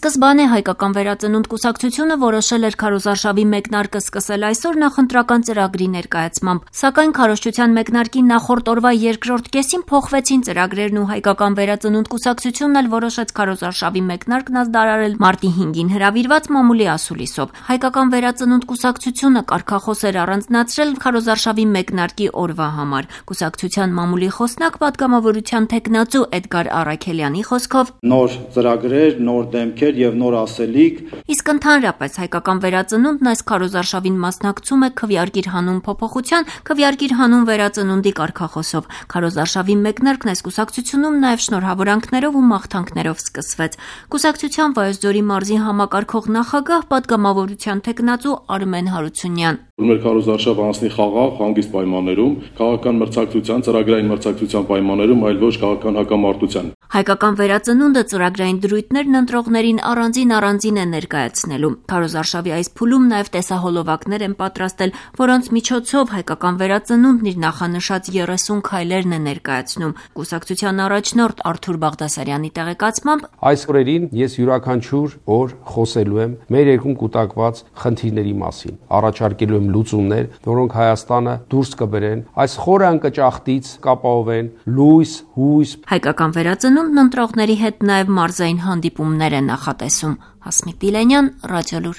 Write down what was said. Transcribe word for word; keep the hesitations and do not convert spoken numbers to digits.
Սկզբանե հայկական վերածնունդ կուսակցությունը որոշել էր քարոզարշավի մեկնարկը սկսել այսօր նախընտրական ծրագրի ներկայացմամբ, սակայն քարոզչության մեկնարկի նախորդ օրվա երկրորդ կեսին փոխվեցին ծրագրերն ու հայկական վերածնունդ կուսակցությունն էլ որոշեց քարոզարշավի մեկնարկն ազդարարել մարտի հինգին հրավիրված մամուլի ասուլիսով։ Հայկական վերածնունդ կուսակցությունը կարգախոս էր առանձնացրել քարոզարշավի մեկնարկի օրվա համար։ Կուսակցության մամուլի խոսնակ պատգամավորության թեկնածու Էդգար Առաքելյանի խոսքով նոր ծրագրեր, նոր դեմքեր եւ նոր ասելիք։ Իսկ ընդհանրապես հայկական վերածնունդն այս քարոզարշավին մասնակցում է քվեարկիր հանուն փոփոխության, քվեարկիր հանուն վերածնունդի կարգախոսով։ Քարոզարշավի մեկնարկն այս կուսակցությունում նաեւ շնորհավորանքներով ու մաղթանքներով սկսվեց։ Կուսակցության Վայոց-Ձորի մարզի համակարգող նախագահ պատգամավորության թեկնածու Արմեն Հարությունյան Մեր քարոզարշավը անցնի խաղաղ, հանգիստ պայմաններում, քաղաքական մրցակցության, ծրագրային մրցակցության պայմաններում, այլ ոչ քաղաքական հակամարտության։ Հայկական վերածնունդը ծրագրային դրույթներն ընտրողներին առանձին առանձին է ներկայացնելու։ Քարոզարշավի այս փուլում նաև տեսահոլովակներ են պատրաստել, որոնց միջոցով հայկական վերածնունդն իր նախանշած երեսուն քայլերն է ներկայացնում։ Կուսակցության առաջնորդ Արթուր Բաղդասարյանի տեղեկացմամբ այս օրերին ես յուրաքանչյուր օր խոսելու եմ մեր երկրում կուտակված խնդիրների մասին, առաջարկելու եմ լուծումներ, որոնք Հայաստանը դուրս կբերեն այս խորը անկճախտից կապահովեն լույս, հույս։ Հայկական վերածնունդն ընտրողների հետ նաև մարզային հանդիպումներ է նախատեսում։ Հասմիկ Դիլենյան, Ռադիոլուր։